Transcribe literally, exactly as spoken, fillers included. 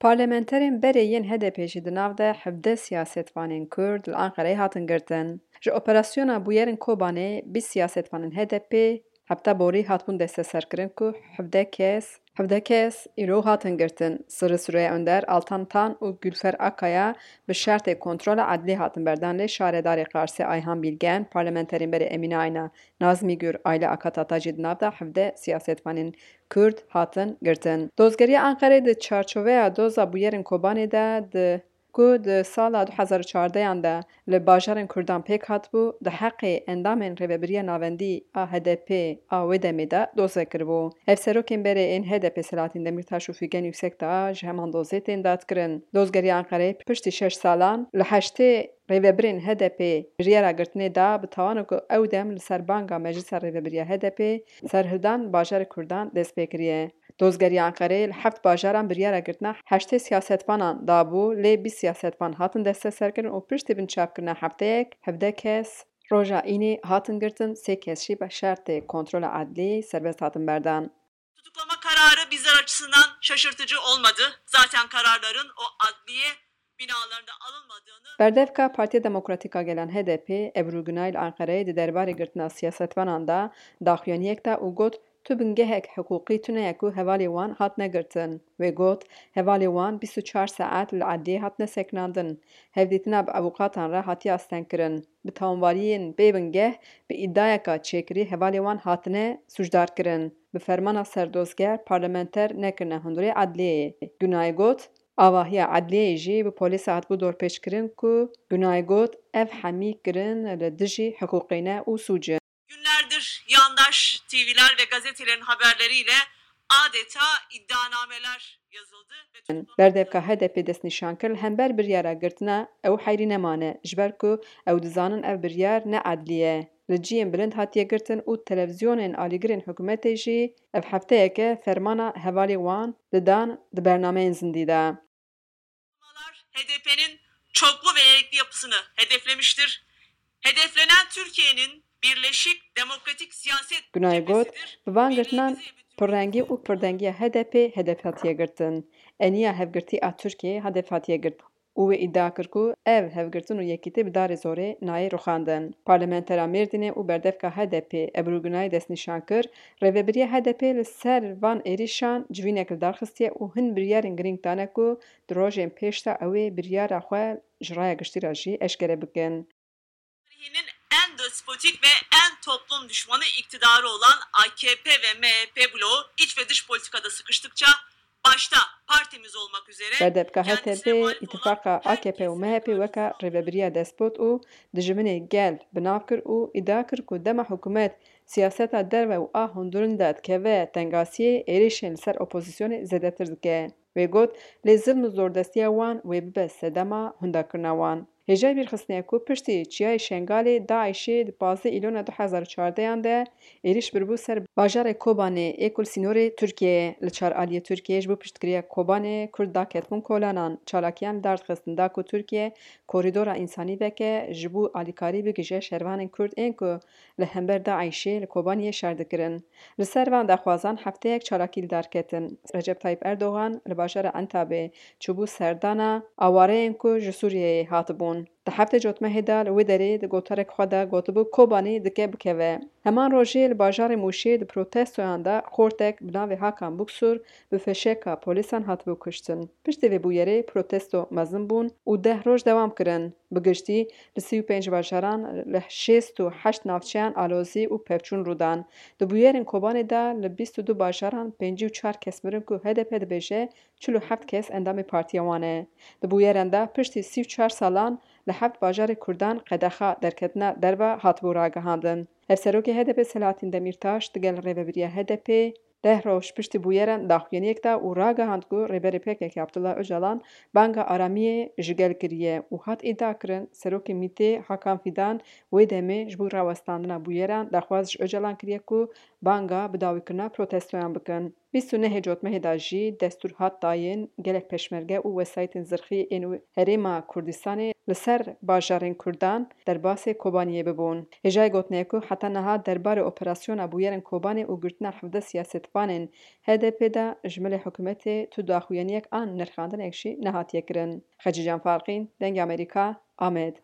Parlamenterên berê yên H D P jî di nav de hevdeh siyasetvanên Kurd li Anqereyê hatin girtin. Ji operasyona bûyerên Kobanê bîst siyasetvanên H D P hefta borî hatibûn desteserkirin ku hevdeh kes, hevdeh kes îro hatin girtin. Sirri Süreyya Önder, Altan Tan û Gülfer Akaya bi şertê kontrola edlî hatin berdan, lê şaredarê Qarsê Ayhan Bilgen, parlamenterên berê Emîne Ayna, Nazmî Gür, Ayla Akatata jî di nav de hevdeh siyasetvanên Kurd hatin girtin. Dozgeriya Anqerê di çarçoveya doza bûyerên Kobanê de di ku di sala du hezar û çardehan de li bajarên Kurdan pêk hatibû, di heqê endamên Rêvebiriya Navendî a H D P a wê demê de doz vekiribû. Hevserokên berê ên H D P Selahattin Demirtaş û Figen Yüksekdağ ji heman dozê tên dadkirin. Dozgeriya Anqerê piştî şeş salan li heştê rêvebirên H D P biryara girtinê da, bi tawanê ku ew dem li ser banga Meclisa Rêvebiriya H D P serhildan bajarê Kurdan dest pê kiriye. Dozgeriya Enqereyê li heft bajaran biryara girtina heştê siyasetvanan dabû, lê bîst siyasetvan hatin desteserkirin û piştî binçavkirina hefteyek, hevdeh kes roja Înê hatin girtin, sê kes jî bi şertê kontrola edlî serbest hatin berdan. Tutuklama kararı bizler açısından şaşırtıcı olmadı. Zaten kararların o adliye binalarında alınmadığını Berdevka Partiya Demokratîk a Gelan H D P, Ebru Günay li Enqereyê di derbarê girtina siyasetvanan de daxuyaniyek da û got, tu bingehek hiqûqî tune ye ku hevalê wan hatine girtin. Wê got, hevalê wan bîst û çar saet li edliyê hatine sekinandin. Hevdîtina bi avûkatan re hatiye astengkirin. Bi tawanbariyên bê bingeh, bi îdiayeka çêkirî hevalê wan hatine sûcdarkirin. Bi fermana serdozger parlamenter nekirine hundirê edliyeyê. Günay got, avahiya edliyeyê jî bi polîsa hatibû dorpêçkirin ku Günay got, ev hemî kirin li dijî hiqûqê ne û sûc in. Günlerdir yandaş T V'ler ve gazetelerin haberleriyle adeta iddianameler yazıldı ve tutuklama Berdevka H D P destnîşan kir, li hember biryara girtina ew heyrî nemane, ji ber ku ew dizanin ev biryar ne edlî ye. Li cihên bilind hatiye girtin û televîzyonên alîgirên hikûmetê jî ev hefteyeke fermana hevalê wan didan di bernameyên zindî de. H D P'nin çoklu ve erkli yapısını hedeflemiştir. Hedeflenen Türkiye'nin birleşik demokratik siyaset Günay got, cephesidir. Bi van girtinan pirrengî û pirdengiya H D P hedef hatiye girtin. Eniya hevgirtî a Tirkiyeyê hedef hatiye girtin û wê îdia kir ku ev hevgirtin û yekîtî bi darê zorê nayê rûxandin. Parlamentera Mêrdînê û berdevka H D P Ebru Günay destnîşan kir, rêvebiriya H D P li ser van êrîşan civînek li dar xistiye û hin biryarên girîng dane ku di rojên pêş de ew ê biryara xwe ji raya giştî re jî eşkere bikin. Tarihinin en despotik ve en toplum düşmanı iktidarı olan A K P ve M H P bloğu iç ve dış politikada sıkıştıkça başta partimiz olmak üzere Berdevka H D P, îtifaqa A K P û M H P weke rêvebiriya despot û dijminê gel bi nav kir û îdia kir ku dema hikûmet siyaseta derve û a hundirîn de dikeve tengasiyê, êrîşên li ser opozîsyonê zêdetir dike. Wê got, lê zilm û zordestiya wan wê bibe sedema hûndakirina wan. Hêjayî bîrxistinê ye ku piştî Çiyayê Şengalê DAIŞê di pazdeh Îlona du hezar û çardehan de êrîş biribû ser bajarê Kobanê ê ku li sînorê Tirkiyeyê ye. Li çar aliyê Tirkiyeyê ji bo piştgiriya Kobanê Kurd daketibûn kolanan, çalakiyan li dar dixistin da ku Tirkiye korîdora însanî veke, ji bo alîkarî bigihîje şervanên Kurd ên ku li hember DAIŞê li Kobaniyê şer dikirin. Li ser van daxwazan hefteyek çalakî li dar ketin. Recep Tayyip Erdogan li bajara Entabê çûbû serdana awareyên ku ji Sûriyeyê hatibûn. Di heftê cotmehê de li wê derê di gotarek xwe de gotibû, Kobanî dike bikeve. Heman rojê li bajarê Mûşê di protestoyan de xortek bi navê Hakan Buksur bi fişeka polîsan hatibû kuştin. Piştî vê bûyerê protesto mezin bûn û deh roj dewam kirin. Bi giştî li sî û pênc bajaran li şêst û heşt navçeyan alozî û pevçûn rû dan. Di bûyerên Kobanê de li bîst û du bajaran pêncî û çar kes mirin ku H D P dibêje çil û heft kes endamê partiya wan e. Di bûyeran de piştî sî û çar salan li heft bajarê Kurdan qedexa derketina derve hatibû ragihandin. Hevserokê H D P Selahattin Demirtaş digel rêvebiriya H D P deh roj piştî bûyeran daxuyaniyek da û ragihand ku Rêberê P K K Abdullah Ocalan banga aramiyê ji gel kiriye û hat îdiakirin, Serokê MÎT'ê Hakan Fidan wê demê ji bo rawestandina bûyeran daxwaz ji Ocalan kiriye ku banga bidawîkirina protestoyan bikin. Bîst û nehê Cotmehê de jî destûr hat dayîn gelek pêşmerge û wesayîtên zirxî ên herêma Kurdistanê li ser bajarên Kurdan derbasê Kobaniyê bibûn. Hêjayê gotinê ye ku heta niha derbarê operasyona bûyerên Kobanê û girtina hevdeh siyasetvanên H D P de ji milê hikûmetê tu daxuyaniyek an nirxandinek jî nehatiye kirin. Xecîcan Farqîn, Dengê Amerîka, Amed.